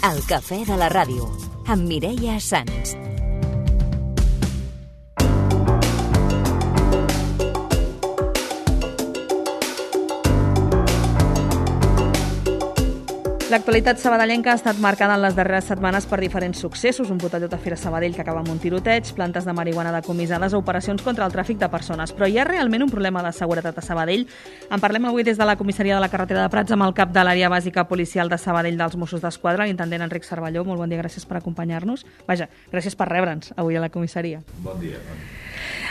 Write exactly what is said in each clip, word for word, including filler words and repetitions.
El cafè de la ràdio, amb Mireia Sans. L'actualitat sabadellenca ha estat marcada en les darreres setmanes per diferents successos, un botellot a Fira Sabadell que acaba amb un tiroteig, plantes de marihuana decomissades o operacions contra el tràfic de persones. Però hi ha realment un problema de seguretat a Sabadell? En parlem avui des de la comissaria de la carretera de Prats amb el cap de l'àrea bàsica policial de Sabadell dels Mossos d'Esquadra, l'intendent Enric Cervelló. Molt bon dia, gràcies per acompanyar-nos. Vaja, gràcies per rebre'ns avui a la comissaria. Bon dia.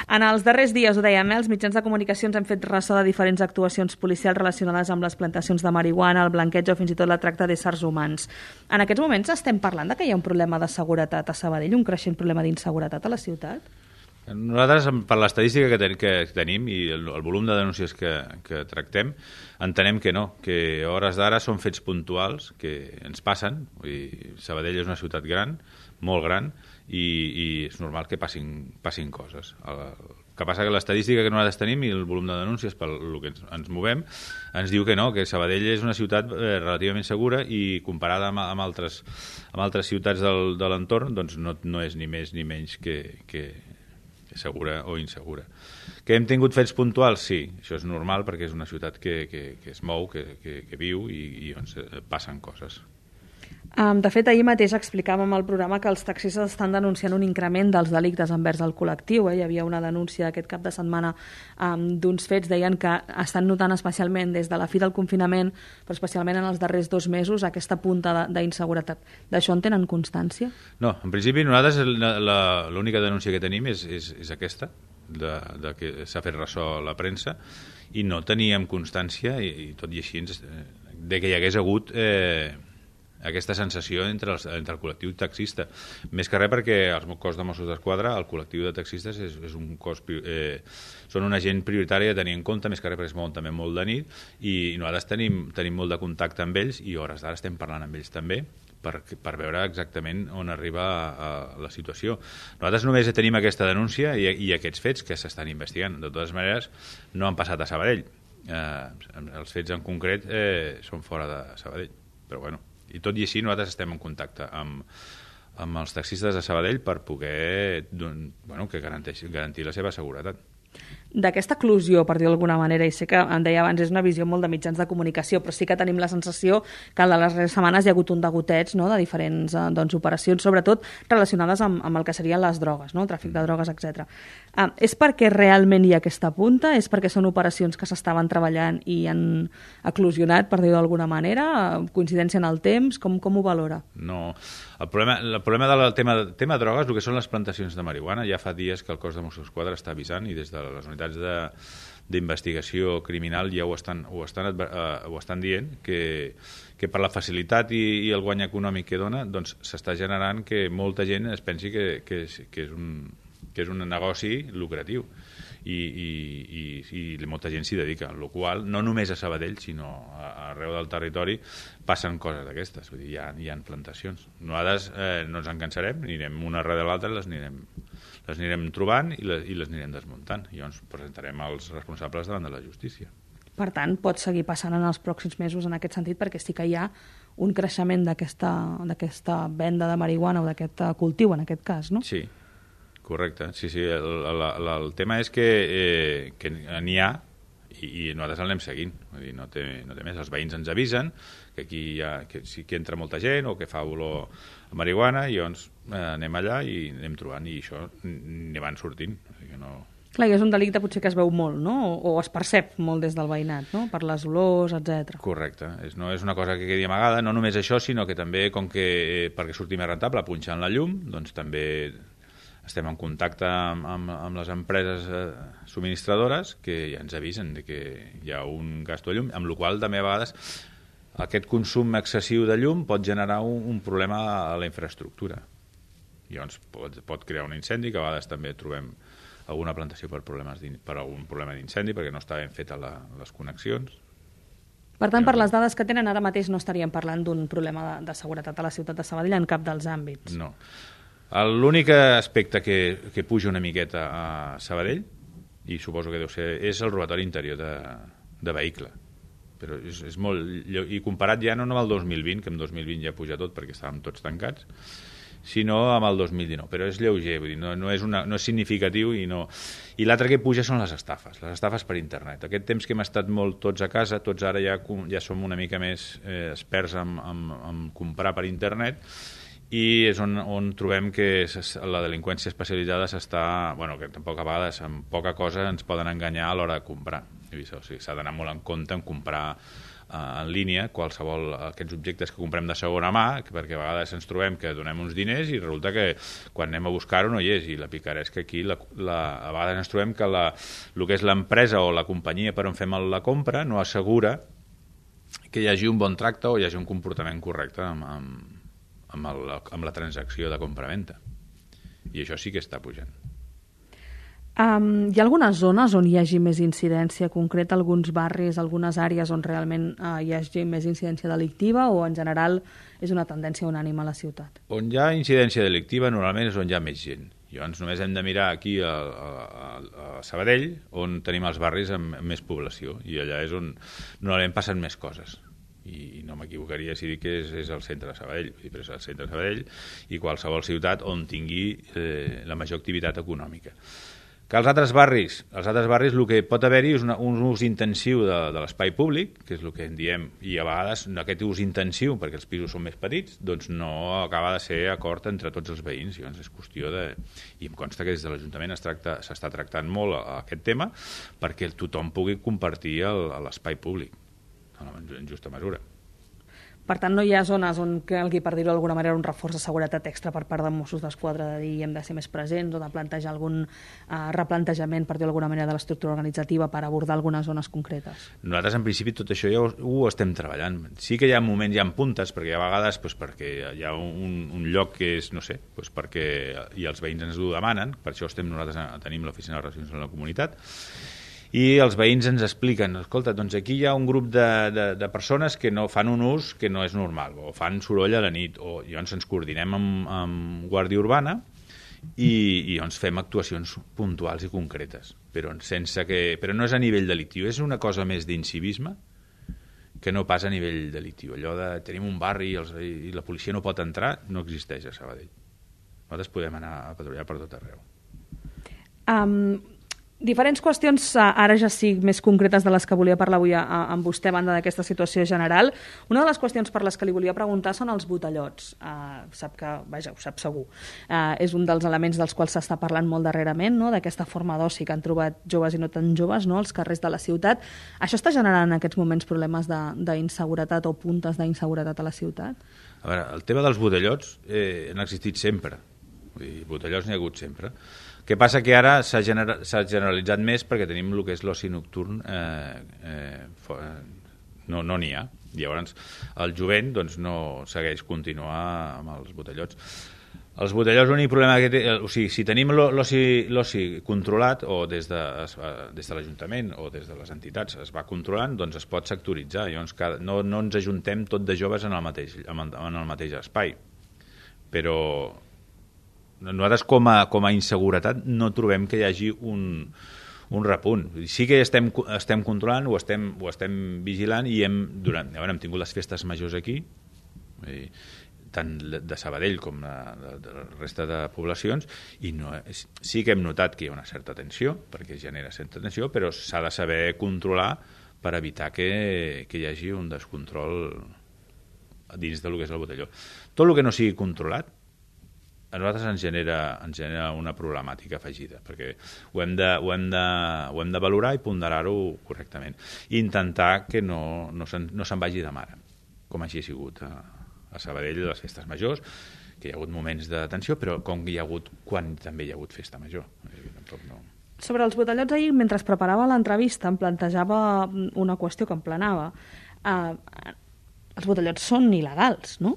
En els darrers dies, ho dèiem, eh, els mitjans de comunicació ens han fet ressò de diferents actuacions policials relacionades amb les plantacions de marihuana, el blanqueig o fins i tot la tracta d'éssers humans. En aquests moments estem parlant de que hi ha un problema de seguretat a Sabadell, un creixent problema d'inseguretat a la ciutat? Nosaltres, per l'estadística que, ten, que tenim i el, el volum de denúncies que, que tractem, entenem que no, que a hores d'ara són fets puntuals que ens passen. Vull dir, Sabadell és una ciutat gran, molt gran, i, i és normal que passin, passin coses. El, el que passa que l'estadística que nosaltres tenim i el volum de denúncies per el que ens, ens movem ens diu que no, que Sabadell és una ciutat eh, relativament segura i comparada amb, amb, altres, amb altres ciutats del, de l'entorn doncs no, no és ni més ni menys que, que, que segura o insegura. Que hem tingut fets puntuals? Sí, això és normal perquè és una ciutat que, que, que es mou, que, que, que viu i, i on passen coses. Um, de fet, ahir mateix explicàvem al programa que els taxistes estan denunciant un increment dels delictes envers el col·lectiu. Eh? Hi havia una denúncia aquest cap de setmana um, d'uns fets, deien que estan notant especialment des de la fi del confinament, però especialment en els darrers dos mesos, aquesta punta d'inseguretat. D'això en tenen constància? No, en principi nosaltres l'única denúncia que tenim és, és, és aquesta, de, de que s'ha fet ressò a la premsa, i no teníem constància, i, i tot i així, de que hi hagués hagut... Eh, aquesta sensació entre, els, entre el col·lectiu taxista. Més que res perquè el cos de Mossos d'Esquadra, el col·lectiu de taxistes, és, és un cos, eh, són una gent prioritària a tenir en compte, més que res perquè es mouen també molt de nit, i, i nosaltres tenim, tenim molt de contacte amb ells, i a hores d'ara estem parlant amb ells també, per, per veure exactament on arriba a, a la situació. Nosaltres només tenim aquesta denúncia i, i aquests fets que s'estan investigant. De totes maneres, no han passat a Sabadell. Eh, els fets en concret eh, són fora de Sabadell, però bueno. I tot i així nosaltres estem en contacte amb, amb els taxistes de Sabadell per poder bueno, que garanteix, garantir la seva seguretat. D'aquesta eclosió, per dir-ho d'alguna manera, i sé que em deia abans, és una visió molt de mitjans de comunicació, però sí que tenim la sensació que en les darreres setmanes hi ha hagut un degoteig, no?, de diferents eh, doncs, operacions, sobretot relacionades amb, amb el que serien les drogues, no?, el tràfic de drogues, etcètera. Eh, és perquè realment hi ha aquesta punta? És perquè són operacions que s'estaven treballant i han eclosionat, per dir-ho d'alguna manera? Coincidència en el temps? Com, com ho valora? No. El problema, el problema del tema, tema de drogues, el que són les plantacions de marihuana, ja fa dies que el cos de Mossos d'Esquadra està avisant i des de les unitats d'investigació criminal ja ho estan, ho estan, uh, ho estan dient, que, que per la facilitat i, i el guany econòmic que dona, doncs s'està generant que molta gent es pensi que, que, és, que, és, un, que és un negoci lucratiu. I, i, i, i molta gent s'hi dedica, amb la qual no només a Sabadell, sinó a, arreu del territori passen coses d'aquestes, vull dir, hi ha, hi ha plantacions. Nosaltres eh, no ens en cansarem, anirem una darrere l'altra, les anirem, les anirem trobant i les, i les anirem desmuntant, i llavors presentarem els responsables davant de la justícia. Per tant, pot seguir passant en els pròxims mesos en aquest sentit, perquè sí que hi ha un creixement d'aquesta venda de marihuana o d'aquest cultiu, en aquest cas, no? Sí. Correcte, sí, sí. El, el, el, el tema és que, eh, que n'hi ha i, i nosaltres l'anem seguint. Vull dir, no té, no té més. Els veïns ens avisen que aquí hi ha, que sí que entra molta gent o que fa olor a marihuana i llavors eh, anem allà i anem trobant i això n'hi van sortint. O sigui que no... Clar, i és un delicte potser que es veu molt, no? O, o es percep molt des del veïnat, no? Per les olors, etcètera. Correcte. És, no és una cosa que quedi amagada, no només això, sinó que també, com que eh, perquè surti més rentable punxant la llum, doncs també... estem en contacte amb, amb, amb les empreses eh, subministradores que ja ens avisen de que hi ha un gasto de llum, amb la qual també a vegades aquest consum excessiu de llum pot generar un, un problema a la infraestructura. I llavors pot, pot crear un incendi, que a vegades també trobem alguna plantació per, problemes per algun problema d'incendi, perquè no està ben feta la, les connexions. Per tant, per les dades que tenen ara mateix no estaríem parlant d'un problema de, de seguretat a la ciutat de Sabadell en cap dels àmbits. No. L'únic aspecte que, que puja una miqueta a Sabadell, i suposo que deu ser, és el robatori interior de, de vehicle. però és, és molt... I comparat ja no amb el dos mil vint, que en dos mil vint ja puja tot perquè estàvem tots tancats, sinó amb el dos mil dinou. Però és lleuger, vull dir, no, no, és una, no és significatiu i no... I l'altre que puja són les estafes, les estafes per internet. Aquest temps que hem estat molt tots a casa, tots ara ja, ja som una mica més eh, experts en, en, en comprar per internet, i és on, on trobem que la delinqüència especialitzada s'està... Bueno, que tampoc a vegades amb poca cosa ens poden enganyar a l'hora de comprar. O sigui, s'ha d'anar molt en compte en comprar eh, en línia qualsevol aquests objectes que comprem de segona mà, perquè a vegades ens trobem que donem uns diners i resulta que quan anem a buscar-ho no hi és, i la picaresca aquí, la, la, a vegades ens trobem que la, el que és l'empresa o la companyia per on fem la compra no assegura que hi hagi un bon tracte o hi hagi un comportament correcte amb, amb Amb, el, amb la transacció de compra-venta. I això sí que està pujant. Um, hi ha algunes zones on hi hagi més incidència concreta, alguns barris, algunes àrees on realment uh, hi hagi més incidència delictiva, o en general és una tendència unànime a la ciutat? On hi ha incidència delictiva normalment és on hi ha més gent. Llavors només hem de mirar aquí a, a, a Sabadell, on tenim els barris amb, amb més població, i allà és on normalment passen més coses. I no m'equivocaria si dic que és, és el centre de Sabadell, però és el centre de Sabadell i qualsevol ciutat on tingui eh, la major activitat econòmica. Que els altres barris, els altres barris el que pot haver-hi és una, un ús intensiu de, de l'espai públic, que és el que en diem, i a vegades aquest ús intensiu, perquè els pisos són més petits, doncs no acaba de ser acord entre tots els veïns, llavors és qüestió de... I em consta que des de l'Ajuntament es tracta, s'està tractant molt aquest tema perquè tothom pugui compartir l'espai públic en justa mesura. Per tant, no hi ha zones on calgui, per dir-ho d'alguna manera, un reforç de seguretat extra per part de Mossos d'Esquadra, de dir hem de ser més presents o de plantejar algun uh, replantejament, per dir-ho d'alguna manera, de l'estructura organitzativa per abordar algunes zones concretes? Nosaltres, en principi, tot això ja ho, ho estem treballant. Sí que hi ha moments, hi ha puntes, perquè hi ha vegades pues, perquè hi ha un, un lloc que és, no sé, pues, perquè i els veïns ens ho demanen, per això estem nosaltres tenim l'oficina de relacions amb la comunitat, i els veïns ens expliquen, escolta, doncs aquí hi ha un grup de, de, de persones que no fan un ús que no és normal, o fan soroll a la nit, o llavors ens coordinem amb, amb Guàrdia Urbana i, i llavors fem actuacions puntuals i concretes, però, sense que, però no és a nivell delictiu, és una cosa més d'incivisme que no pas a nivell delictiu. Allò de tenim un barri i, els, i la policia no pot entrar no existeix a Sabadell. Nosaltres podem anar a patrullar per tot arreu. Um... Diferents qüestions, ara ja sí, més concretes de les que volia parlar avui amb vostè, a banda d'aquesta situació general. Una de les qüestions per les que li volia preguntar són els botellots. Uh, sap que, vaja, ho sap segur. Uh, és un dels elements dels quals s'està parlant molt darrerament, no?, d'aquesta forma d'oci que han trobat joves i no tan joves, no?, als carrers de la ciutat. Això està generant en aquests moments problemes d'inseguretat o puntes d'inseguretat a la ciutat? A veure, el tema dels botellots eh, han existit sempre. Vull dir, botellots n'hi ha hagut sempre. El que passa que ara s'ha genera, generalitzat més perquè tenim el que és l'oci nocturn, eh, eh, no no n'hi ha. Llavors, el jovent doncs, no segueix continuar amb els botellots. Els botellots, l'únic problema que té... O sigui, si tenim l'oci controlat, o des de, des de l'Ajuntament o des de les entitats es va controlant, doncs es pot sectoritzar. Llavors, cada, no, no ens ajuntem tot de joves en el mateix, en el mateix espai. Però... nosaltres com a, com a inseguretat no trobem que hi hagi un, un repunt. Sí que estem, estem controlant, ho estem, ho estem vigilant i hem, durant, bueno, hem tingut les festes majors aquí, i, tant de Sabadell com de, de, de la resta de poblacions, i no, sí que hem notat que hi ha una certa tensió, perquè genera certa tensió, però s'ha de saber controlar per evitar que, que hi hagi un descontrol dins del que és el botelló. Tot el que no sigui controlat a nosaltres ens genera, ens genera una problemàtica afegida, perquè ho hem de, ho hem de, ho hem de valorar i ponderar-ho correctament. I intentar que no, no se'n no se'n vagi de mare, com així ha sigut a, a Sabadell, les festes majors, que hi ha hagut moments de tensió, però com hi ha hagut quan també hi ha hagut festa major. Tampoc no... Sobre els botellots, ahir, mentre es preparava l'entrevista, em plantejava una qüestió que em planava. Uh, els botellots són il·legals, no?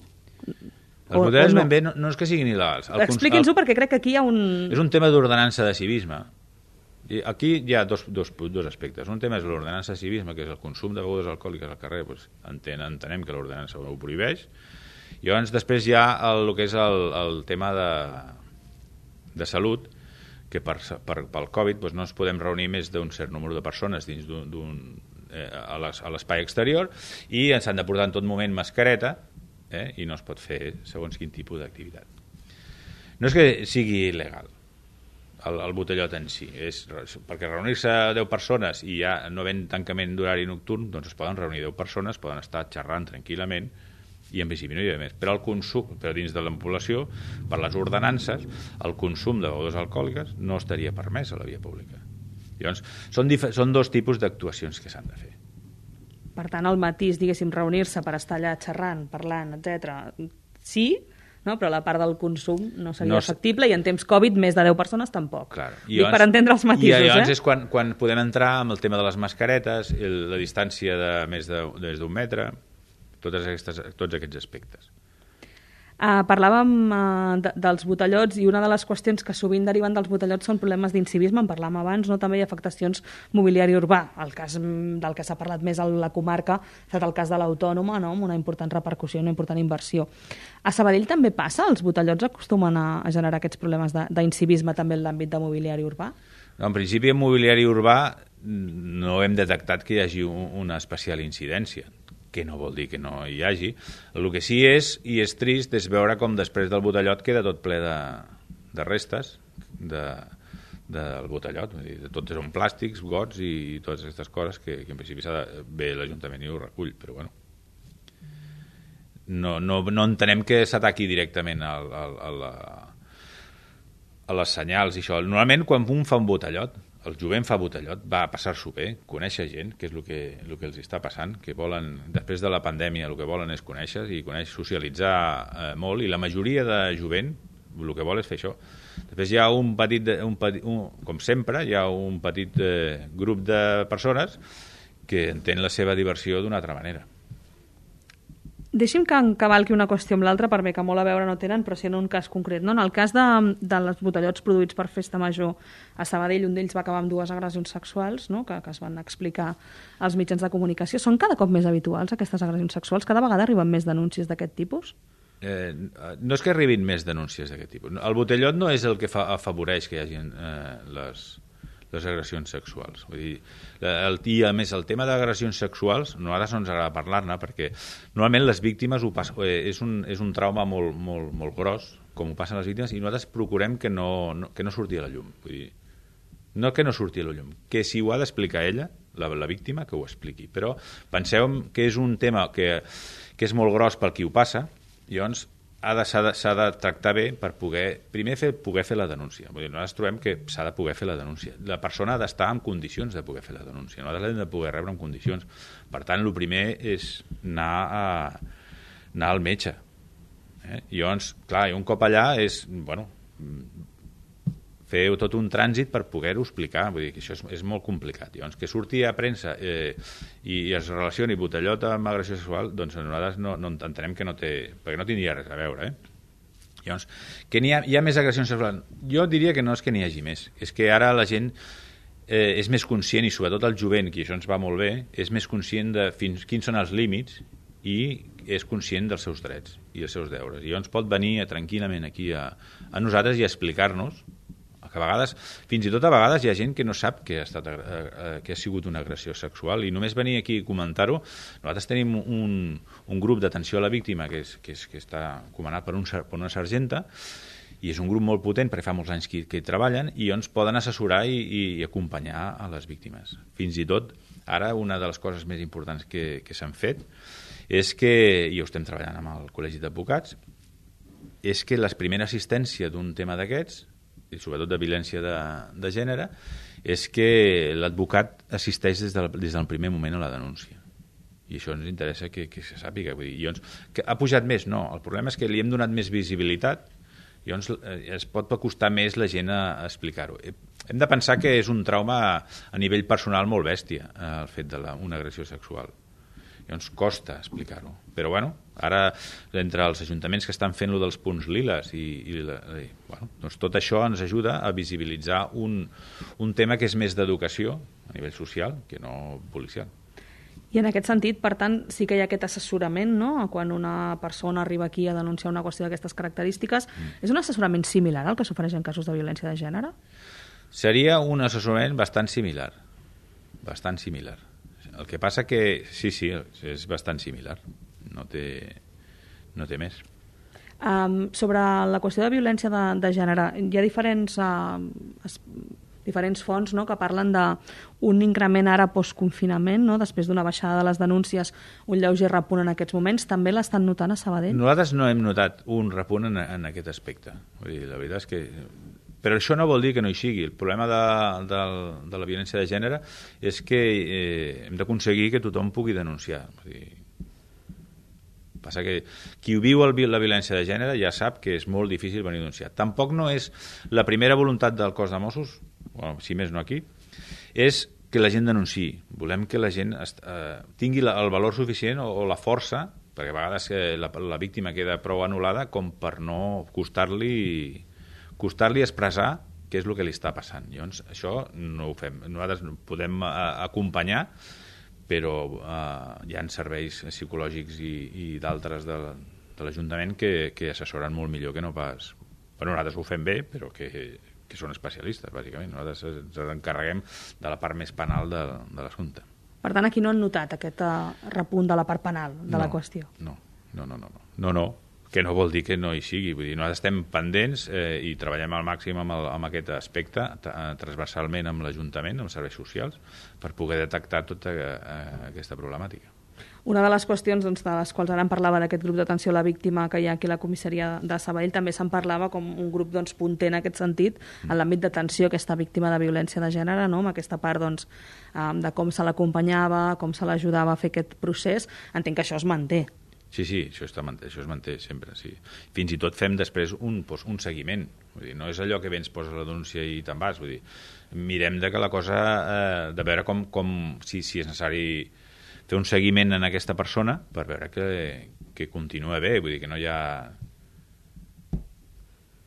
Els botellots, no? Ben bé, no, no és que siguin il·legals. Expliqui'ns-ho, perquè crec que aquí hi ha un... És un tema d'ordenança de civisme. I aquí hi ha dos, dos, dos aspectes. Un tema és l'ordenança de civisme, que és el consum de begudes alcohòliques al carrer. Doncs entenem, entenem que l'ordenança ho prohibeix. I llavors després hi ha el, el que és el, el tema de, de salut, que per, per, pel Covid doncs no ens podem reunir més d'un cert número de persones dins d'un eh, a l'espai exterior i s'han de portar en tot moment mascareta eh, i no es pot fer segons quin tipus d'activitat. No és que sigui il·legal el, el botellot en si, és perquè reunir-se deu persones i ja no ven tancament d'horari nocturn, doncs es poden reunir deu persones, poden estar xerrant tranquil·lament i en principi no hi ha més. Però el consum, però dins de la població, per les ordenances, el consum de begudes alcohòliques no estaria permès a la via pública. Llavors, són, són dos tipus d'actuacions que s'han de fer. Per tant, el matís, diguéssim, reunir-se per estar allà xerrant, parlant, etcètera, sí, no? Però la part del consum no seria no, factible i en temps Covid més de deu persones tampoc. Clar. I Dic, per entendre els matisos. I llavors eh? és quan, quan podem entrar amb el tema de les mascaretes, el, la distància de més d'un metre, totes aquestes, tots aquests aspectes. Uh, parlàvem uh, de, dels botellots i una de les qüestions que sovint deriven dels botellots són problemes d'incivisme, en parlàvem abans, no? També hi ha afectacions mobiliari urbà. El cas del que s'ha parlat més a la comarca ha estat el cas de l'Autònoma, no? Amb una important repercussió, una important inversió. A Sabadell també passa? Els botellots acostumen a, a generar aquests problemes d'incivisme també en l'àmbit de mobiliari urbà? No, en principi, en mobiliari urbà no hem detectat que hi hagi una especial incidència, que no vol dir que no hi hagi. El que sí és, i és trist, és veure com després del botellot queda tot ple de, de restes de, del botellot. Vull dir, tot són plàstics, gots i totes aquestes coses que, que en principi s'ha de... Bé, l'Ajuntament hi ho recull, però bueno. No, no, no entenem que s'ataqui directament al, al, a, la, a les senyals i això. Normalment, quan un fa un botellot, el jovent fa botellot, va a passar-s'ho bé, conèixer gent, que és el que, el que els està passant, que volen, després de la pandèmia, el que volen és conèixer i conèixer, socialitzar eh, molt, i la majoria de jovent el que vol és fer això. Després hi ha un petit, un petit un, com sempre, hi ha un petit eh, grup de persones que entén la seva diversió d'una altra manera. Deixi'm que encavalqui una qüestió amb l'altra, per bé que molt a veure no tenen, però sí en un cas concret. No? En el cas de, de les botellots produïts per Festa Major a Sabadell, un d'ells va acabar amb dues agressions sexuals, no? que, que es van explicar als mitjans de comunicació. Són cada cop més habituals aquestes agressions sexuals? Cada vegada arriben més denúncies d'aquest tipus? Eh, no és que arribin més denúncies d'aquest tipus. El botellot no és el que fa, afavoreix que hi hagi eh, les... les agressions sexuals. Vull dir, el, i a més el tema d'agressions sexuals, a nosaltres no ens agrada parlar-ne perquè normalment les víctimes ho passen, eh, és, un, és un trauma molt, molt, molt gros, com ho passen les víctimes, i nosaltres procurem que no, no, que no surti a la llum. Vull dir, no que no surti a la llum, que si ho ha d'explicar ella, la, la víctima, que ho expliqui. Però penseu que és un tema que, que és molt gros pel qui ho passa, i llavors ha de, s'ha de, s'ha de tractar bé per poder, primer fer, poder fer la denúncia. Vull dir, nosaltres trobem que s'ha de poder fer la denúncia. La persona ha d'estar en condicions de poder fer la denúncia. Nosaltres l'hem de poder rebre en condicions. Per tant, el primer és anar, a, anar al metge. Eh? I llavors, clar, i un cop allà és, bueno, fer tot un trànsit per poder-ho explicar. Vull dir que això és, és molt complicat. Llavors, que surti a premsa eh, i, i es relacioni botellot amb agressió sexual, doncs nosaltres no, no entenem que no té... perquè no tindria res a veure, eh? Llavors, que n'hi ha, hi ha més agressions sexuals? Jo diria que no és que n'hi hagi més. És que ara la gent eh, és més conscient, i sobretot el jovent, que això ens va molt bé, és més conscient de fins quins són els límits i és conscient dels seus drets i els seus deures. I llavors pot venir tranquil·lament aquí a, a nosaltres i explicar-nos que a vegades, fins i tot a vegades hi ha gent que no sap que ha, estat, eh, que ha sigut una agressió sexual, i només venir aquí a comentar-ho. Nosaltres tenim un, un grup d'atenció a la víctima que, és, que, és, que està comandat per, un, per una sergenta, i és un grup molt potent perquè fa molts anys que, que hi treballen, i ens poden assessorar i, i, i acompanyar a les víctimes. Fins i tot, ara una de les coses més importants que, que s'han fet és que, i ho estem treballant amb el Col·legi d'Advocats, és que la primera assistència d'un tema d'aquests, i sobretot de violència de, de gènere, és que l'advocat assisteix des del, des del primer moment a la denúncia. I això ens interessa que, que se sàpiga. Vull dir, llavors, que ha pujat més? No. El problema és que li hem donat més visibilitat, i llavors eh, es pot acostar més la gent a, a explicar-ho. Hem de pensar que és un trauma a nivell personal molt bèstia, eh, el fet d'una agressió sexual. Llavors costa explicar-ho. Però bueno, ara entre els ajuntaments que estan fent-lo dels punts liles i, i, i bueno, doncs tot això ens ajuda a visibilitzar un, un tema que és més d'educació a nivell social que no policial. I en aquest sentit, per tant, sí que hi ha aquest assessorament, no?, quan una persona arriba aquí a denunciar una qüestió d'aquestes característiques. Mm. És un assessorament similar al que s'ofereix en casos de violència de gènere? Seria un assessorament bastant similar. Bastant similar. el que passa que, sí, sí, és bastant similar. No té, no té més. Um, sobre la qüestió de violència de, de gènere, hi ha diferents, uh, es, diferents fonts, no?, que parlen d'un increment ara post-confinament, no?, després d'una baixada de les denúncies, un lleuger repunt en aquests moments. També l'estan notant a Sabadell? Nosaltres no hem notat un repunt en, en aquest aspecte. Vull dir, la veritat és que... Però això no vol dir que no hi sigui. El problema de, de, de la violència de gènere és que eh, hem d'aconseguir que tothom pugui denunciar. Vull dir, passa que qui viu el, la violència de gènere ja sap que és molt difícil venir a denunciar. Tampoc no és la primera voluntat del cos de Mossos, bueno, si més no aquí, és que la gent denunciï. Volem que la gent eh, tingui la, el valor suficient o, o la força, perquè a vegades eh, la, la víctima queda prou anul·lada com per no costar-li costar-li expressar què és el que li està passant. Llavors, això no ho fem. Nosaltres podem eh, acompanyar, però eh, hi ha serveis psicològics i, i d'altres de, de l'Ajuntament que, que assessoren molt millor que no pas... Bueno, nosaltres ho fem bé, però que, que són especialistes, bàsicament. Nosaltres ens encarreguem de la part més penal de, de l'assumpte. Per tant, aquí no han notat aquest uh, repunt de la part penal de no, la qüestió? No, no, no, no, no. no, no. que no vol dir que no hi sigui. Vull dir, nosaltres estem pendents eh, i treballem al màxim amb, el, amb aquest aspecte, transversalment amb l'Ajuntament, amb els serveis socials, per poder detectar tota eh, aquesta problemàtica. Una de les qüestions doncs, de les quals ara en parlava d'aquest grup d'atenció a la víctima que hi ha aquí a la comissaria de Sabadell, també se'n parlava com un grup doncs, punter en aquest sentit, en l'àmbit d'atenció a aquesta víctima de violència de gènere, no? Amb aquesta part doncs, de com se l'acompanyava, com se l'ajudava a fer aquest procés. Entenc que això es manté. Sí, sí, això, està, això es manté sempre, sí. Fins i tot fem després un, doncs, un seguiment. Vull dir, no és allò que vens, poses la denúncia i te'n vas. Vull dir, mirem de que la cosa, eh, de veure com, com si, si és necessari fer un seguiment en aquesta persona per veure que, que continua bé, vull dir, que no hi ha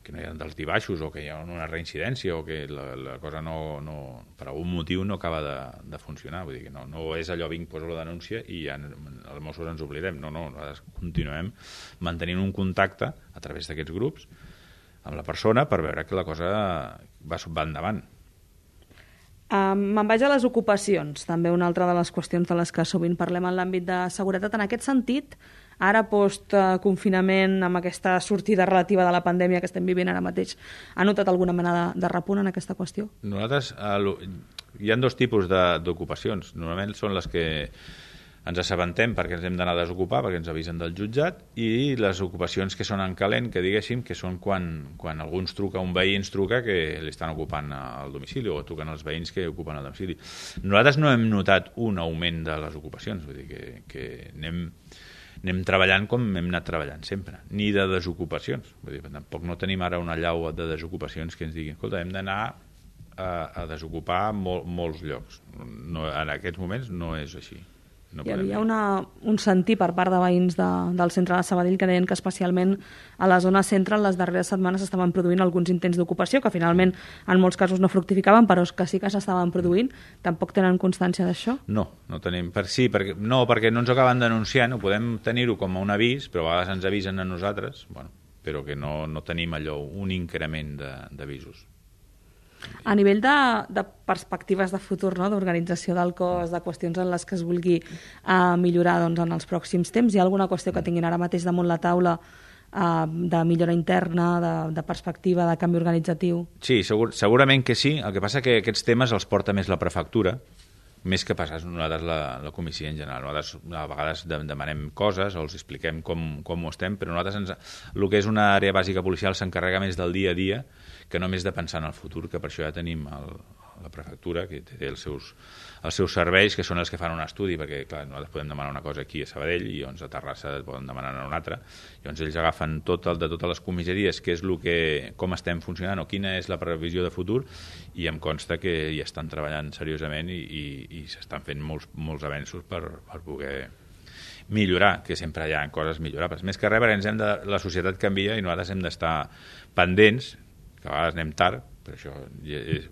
que no hi ha d'altibaixos o que hi ha una reincidència o que la, la cosa no, no, per algun motiu no acaba de, de funcionar. Vull dir que no, no és allò, vinc, poso la denúncia i ja els Mossos ens oblidem. No, no, nosaltres continuem mantenint un contacte a través d'aquests grups amb la persona per veure que la cosa va, va endavant. Um, me'n vaig a les ocupacions, també una altra de les qüestions de les que sovint parlem en l'àmbit de seguretat. En aquest sentit, ara post-confinament, amb aquesta sortida relativa de la pandèmia que estem vivint ara mateix, ha notat alguna mena de, de repunt en aquesta qüestió? Nosaltres, eh, hi ha dos tipus d'ocupacions. Normalment són les que ens assabentem perquè ens hem d'anar a desocupar, perquè ens avisen del jutjat, i les ocupacions que són en calent, que diguéssim, que són quan, quan algú ens truca, un veí ens truca que li estan ocupant al domicili o truquen els veïns que ocupen el domicili. Nosaltres no hem notat un augment de les ocupacions, vull dir que, que anem, anem treballant com hem anat treballant sempre, ni de desocupacions. Vull dir, tampoc no tenim ara una llau de desocupacions que ens diguin, escolta, hem d'anar a, a desocupar mol, molts llocs. No, en aquests moments no és així. No Hi havia una, un sentir per part de veïns de, del centre de Sabadell que deien que especialment a la zona centre en les darreres setmanes estaven produint alguns intents d'ocupació que finalment en molts casos no fructificaven, però que sí que s'estaven produint. Tampoc tenen constància d'això? No, no tenim. Per, sí, perquè, no, perquè no ens acaben denunciant, podem tenir-ho com a un avís, però a vegades ens avisen a nosaltres, bueno, però que no, no tenim allò, un increment d'avisos. A nivell de, de perspectives de futur, no? D'organització del cos, de qüestions en les que es vulgui uh, millorar doncs, en els pròxims temps, hi ha alguna qüestió que tinguin ara mateix damunt la taula uh, de millora interna, de, de perspectiva, de canvi organitzatiu? Sí, segur, segurament que sí. El que passa que aquests temes els porta més la prefectura, més que passar nosaltres la, la comissió en general. Nosaltres a vegades demanem coses o els expliquem com, com ho estem, però nosaltres ens, el que és una àrea bàsica policial s'encarrega més del dia a dia que només de pensar en el futur, que per això ja tenim el, la prefectura, que té els seus, els seus serveis, que són els que fan un estudi, perquè clar, nosaltres podem demanar una cosa aquí a Sabadell i llavors a Terrassa poden demanar una altra. Llavors ells agafen tot el de totes les comissaries, que és el que, com estem funcionant o quina és la previsió de futur, i em consta que hi estan treballant seriosament i, i, i s'estan fent molts, molts avenços per, per poder millorar, que sempre hi ha coses millorables. Més que res, perquè ens hem de, la societat canvia i nosaltres hem d'estar pendents, que a vegades anem tard, però això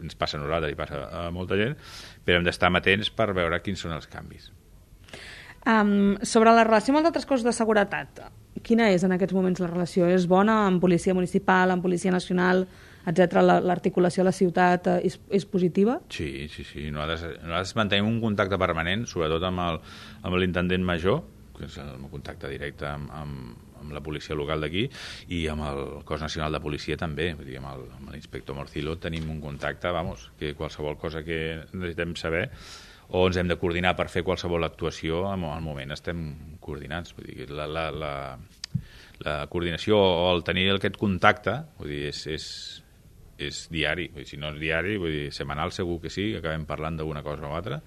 ens passa a nosaltres i passa a molta gent, però hem d'estar amatents per veure quins són els canvis. Um, sobre la relació amb els altres cossos de seguretat, quina és en aquests moments la relació? És bona amb policia municipal, amb policia nacional, etcètera, l'articulació a la ciutat és, és positiva? Sí, sí, sí. Nosaltres, nosaltres mantenim un contacte permanent, sobretot amb el, amb l'intendent major, que és el meu contacte directe amb, amb, amb la policia local d'aquí, i amb el Cos Nacional de Policia també, vull dir, amb el, amb l'inspector Morcillo tenim un contacte, vamos, que qualsevol cosa que necessitem saber o ens hem de coordinar per fer qualsevol actuació, al moment estem coordinats. Vull dir, la, la, la, la coordinació o el tenir aquest contacte, vull dir, és, és, és diari. Vull dir, si no és diari, vull dir, setmanal segur que sí, acabem parlant d'una cosa o altra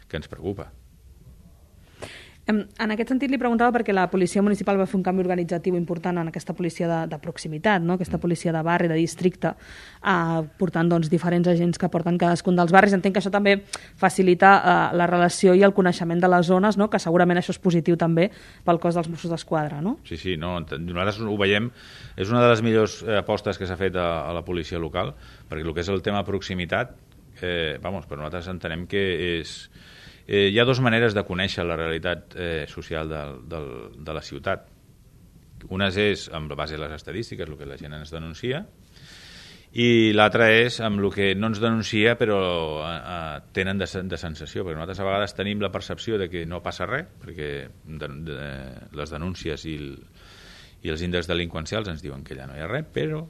que ens preocupa. En aquest sentit li preguntava perquè la policia municipal va fer un canvi organitzatiu important en aquesta policia de, de proximitat, no? Aquesta policia de barri, de districte, eh, portant doncs, diferents agents que porten cadascun dels barris. Entenc que això també facilita eh, la relació i el coneixement de les zones, no? Que segurament això és positiu també pel cos dels Mossos d'Esquadra, no? Sí, sí, no, nosaltres ho veiem, és una de les millors apostes que s'ha fet a, a la policia local, perquè el que és el tema proximitat, eh, vamos, per nosaltres entenem que és... Eh, hi ha dues maneres de conèixer la realitat eh, social de, de, de la ciutat. Una és amb la base de les estadístiques, el que la gent ens denuncia, i l'altra és amb el que no ens denuncia però eh, tenen de, de sensació, perquè nosaltres a vegades tenim la percepció de que no passa res, perquè de, de, les denúncies i, el, i els índexs delinqüencials ens diuen que allà no hi ha res, però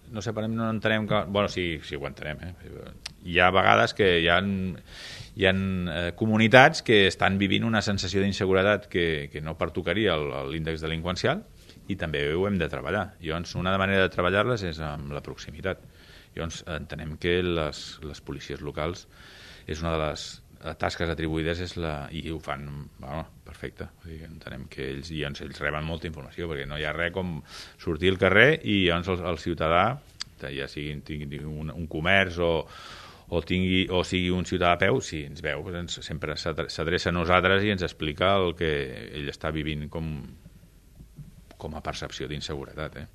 no separem, no entenem que... Bueno, sí, sí ho entenem, eh? Hi ha vegades que hi ha, hi ha eh, comunitats que estan vivint una sensació d'inseguretat que, que no pertocaria l'índex delinqüencial i també ho hem de treballar. Llavors, una manera de treballar-les és amb la proximitat. Llavors, entenem que les, les policies locals és una de les tasques atribuïdes és la, i ho fan bueno, perfecte. Entenem que ells, i llavors, ells reben molta informació perquè no hi ha res com sortir al carrer i llavors el, el ciutadà, ja sigui tingui un, un comerç o, o, tingui, o sigui un ciutadà a peu, si ens veu, doncs sempre s'adreça a nosaltres i ens explica el que ell està vivint com, com a percepció d'inseguretat. Eh?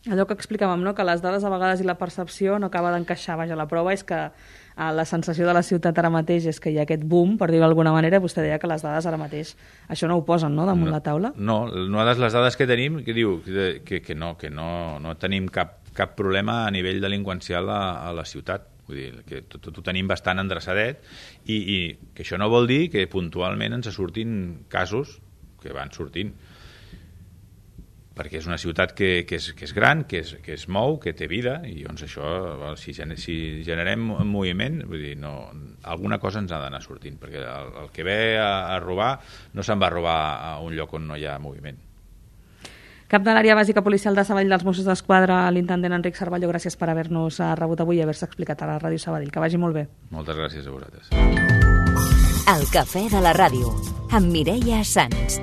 Allò que explicàvem, no? Que les dades a vegades i la percepció no acaba d'encaixar. Vaja, la prova és que eh, la sensació de la ciutat ara mateix és que hi ha aquest boom, per dir-ho d'alguna manera. Vostè deia que les dades ara mateix això no ho posen, no?, damunt no, la taula. No, no, les dades que tenim que diu que, que no, que no, no tenim cap, cap problema a nivell delinqüencial a, a la ciutat. Vull dir, que tot, tot ho tenim bastant endreçadet i, i que això no vol dir que puntualment ens surtin casos que van sortint, perquè és una ciutat que, que, és, que és gran, que es, que es mou, que té vida, i doncs això, si, si generem moviment, vull dir, no, alguna cosa ens ha d'anar sortint, perquè el, el que ve a, a robar no se'n va a robar a un lloc on no hi ha moviment. Cap de l'àrea bàsica policial de Sabadell dels Mossos d'Esquadra, l'intendent Enric Cervelló, gràcies per haver-nos rebut avui i haver-se explicat a la Ràdio Sabadell. Que vagi molt bé. Moltes gràcies a vosaltres. El cafè de la ràdio, amb Mireia Sans.